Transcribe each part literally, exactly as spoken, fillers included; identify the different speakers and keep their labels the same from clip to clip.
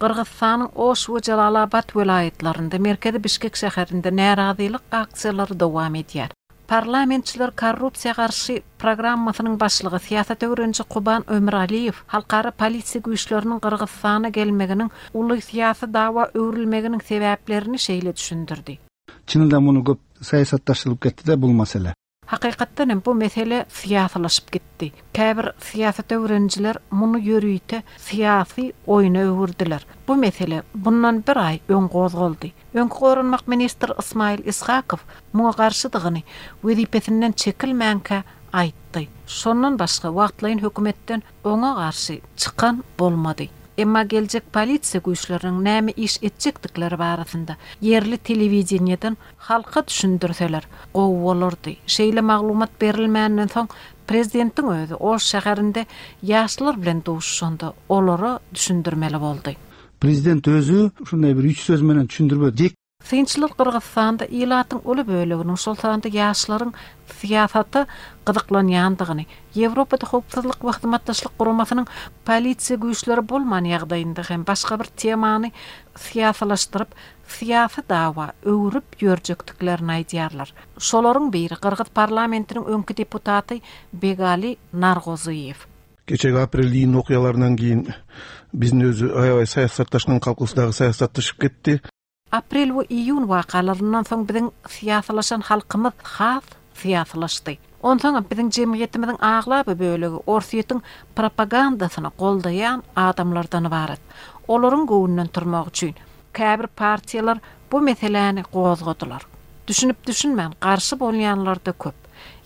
Speaker 1: Gyrgyzystanyň Oş we Jalalabat welaýatlarynda, merkezi Bişkek şäherinde närazylyk aksiýalary dowam edýär. Parlamentçiler korrupsiýa garşy programmasynyň başlygy, syýasat öwreniji Kuban Ömüraliýew halkara polisiýa güýçleriniň Gyrgyzystana gelmeginiň uly syýasy dawa öwrülmeginiň sebäplerini şeýle düşündirdi.
Speaker 2: Чынында муну көп саясатташтырылып кетти да бул маселе.
Speaker 1: Hakykatdan hem bu mesele syýasylaşyp gitdi. Käbir syýasat öwrenijiler muny ýörite syýasy oýuna öwürdiler. Bu mesele bundan bir aý öň gozgaldy. Öňki goranmak ministri Ismail Ishakow muňa garşydygyny wezipesinden çekilmänkä aýtdy. Şondan başga wagtlaýyn hökümetden oňa garşy çykan bolmady. Emma geljek polisiýa güýçleriniň näme iş etjekdikleri barasynda ýerli telewideniýeden halka düşündirseler gowy bolardy. Şeýle maglumat berilmänden soň prezidentiň özi Oş şäherinde ýaşlar bilen duşuşanda olara düşündirmeli boldy.
Speaker 2: Президент өзү ушундай бир үч сөз менен түшүндүрбөдү.
Speaker 1: Synçylar Gyrgyzystanda ilatyň uly böleginiň, şol sanda ýaşlaryň syýasata gyzyklanýandygyny, Ýewropada howpsuzlyk we hyzmatdaşlyk guramasynyň polisiýa güýçleri bolman ýagdaýynda hem başga bir temany syýasylaşdyryp, syýasy dawa öwrüp ýörjekdiklerini aýdýarlar. Şolaryň biri Gyrgyz parlamentiniň öňki deputaty Begali Nargozyýew.
Speaker 3: Кечеги апрель июнь окуяларынан кийин биздин өзү аябай саясатташкан калкыбыз дагы саясатташып кетти.
Speaker 1: Aprel we iýun wakalaryndan soň biziň syýasylaşan halkymyz has syýasylaşdy. Onsoň biziň jemgyýetimiziň aglaba bölegi Orsýetiň propagandasyny goldaýan adamlardan ibarat. Olaryň göwnünden turmak üçin käbir partiýalar bu meseläni gozgadylar. Düşünip düşünmän garşy bolýanlar da köp.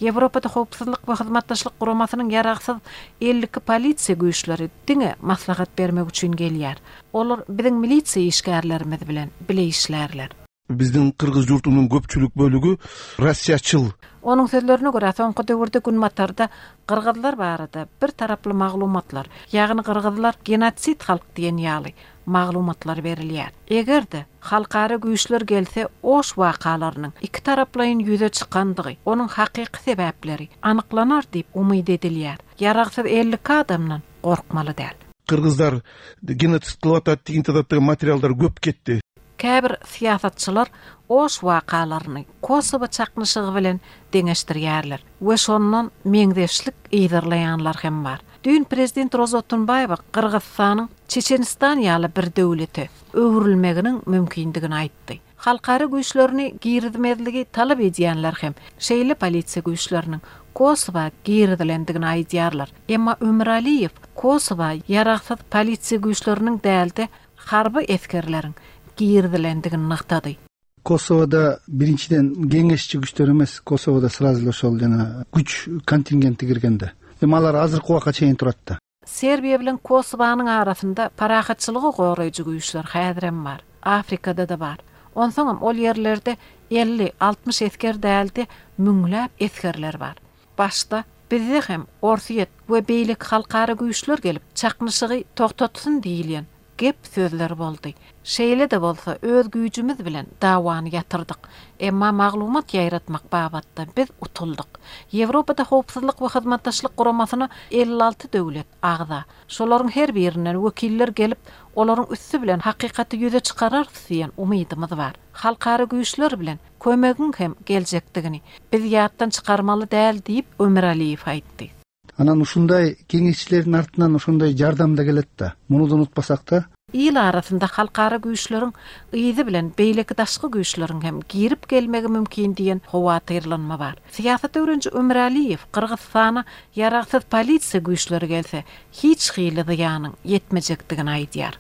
Speaker 1: Ýewropada howpsuzlyk we hyzmatdaşlyk guramasynyň ýaragsyz elli iki polisiýa güýçleri diňe maslahat bermek üçin gelýär. Olar biziň milisiýa işgärlerimiz bilen bile işlärler.
Speaker 3: Биздин кыргыз журтунун көпчүлүк бөлүгү россиячыл.
Speaker 1: Onuň sözlerine görä soňky döwürde Günbatarda gyrgyzlar barada bir taraply maglumatlar, ýagny gyrgyzlar genosid halk diýen ýaly maglumatlar berilýär. Eger-de halkara güýçler gelse, Oş wakalarynyň iki taraplaýyn ýüze çykandygy, onuň hakyky sebäpleri anyklanar diýip umyt edilýär. Ýaragsyz elli iki adamdan gorkmaly däl.
Speaker 3: Кыргыздар геноцид кылып атат деген тараптагы материалдар көп кетти.
Speaker 1: Käbir syýasatçylar Oş wakalaryny Kosowa çaknyşygy bilen deňeşdirýärler we şondan meňzeşlik ýerleýänler hem bar. Düýn prezident Roza Otunbaýewa Gyrgyzystanyň Çeçenistan ýaly bir döwlete öwrülmeginiň mümkindigini aýtdy. Halkara güýçlerini girizmezligi talap edýänler hem şeýle polisiýa güýçleriniň Kosowa girizilendigini aýdýarlar. Emma Ömüraliýew Kosowa ýaragsyz polisiýa güýçleriniň dälde harby esgerleriň girizilendigini nygtady.
Speaker 2: Kosovada биринчиден кеңешчи күчтөр эмес, Kosovada сразу эле ошол жана күч контингенти киргенде. Эми алар азыркы убакка чейин турат да.
Speaker 1: Serbiýa bilen Kosovanyň arasynda parahatçylygy goraýjy güýçler häzirem bar. Afrikada da bar. Onsoňam ol ýerlerde elli altmyş esger däldi, müňläp esgerler bar. Başda bizde hem Orsýet we beýleki halkara güýçler gelip çaknyşygy togtatsyn diýilýän gep sözler boldy. Şeýle de bolsa öz güýjümiz bilen dawany ýatyrdyk. Emma maglumat ýaýratmak babatda biz utuldyk. Ýewropada howpsuzlyk we hyzmatdaşlyk guramasyna elli alty döwlet agza. Şolaryň her birinden wekiller gelip, olaryň üsti bilen hakykaty ýüze çykarar diýen umydymyz bar. Halkara güýçler bilen kömegiň hem geljekdigini biz ýatdan çykarmaly däl diýip Ömüraliýew aýtdy.
Speaker 2: Анан ушундай кеңешчилердин артынан ошондой жардам да келет да. Муну да унутпасак да.
Speaker 1: Ил arasynda halkara güýçleriň yzy bilen beýleki daşky güýçleriň hem girip gelmegi mümkin diýen howatyrlanma bar. Syýasat öwreniji Ömüraliýew Gyrgyzystana ýaragsyz polisiýa güýçleri gelse hiç hili zyýanyň ýetmejekdigini aýdýar.